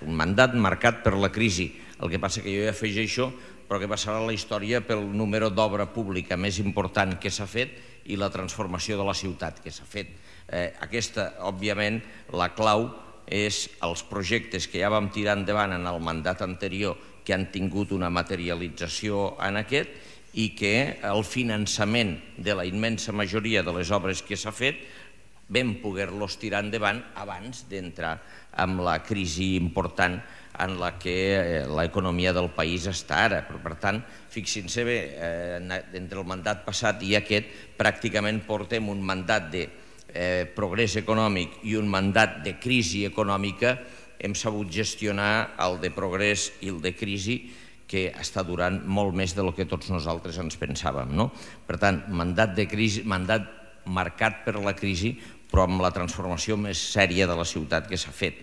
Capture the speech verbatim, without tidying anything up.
un mandat marcat per la crisi. El que passa que jo hi afegeixo, però que passarà a la història pel número d'obra pública més important que s'ha fet i la transformació de la ciutat que s'ha fet. Aquesta, òbviament, la clau és els projectes que ja vam tirar endavant en el mandat anterior que han tingut una materialització en aquest i que el finançament de la immensa majoria de les obres que s'ha fet vam poder-los tirar endavant abans d'entrar en la crisi important en la que l'economia del país està ara. Per tant, fixin-se bé, entre el mandat passat i aquest pràcticament portem un mandat de progrés econòmic i un mandat de crisi econòmica. Hem sabut gestionar el de progrés i el de crisi que està durant molt més del que tots nosaltres ens pensàvem. Per tant, mandat de crisi, mandat marcat per la crisi, però amb la transformació més sèria de la ciutat que s'ha fet.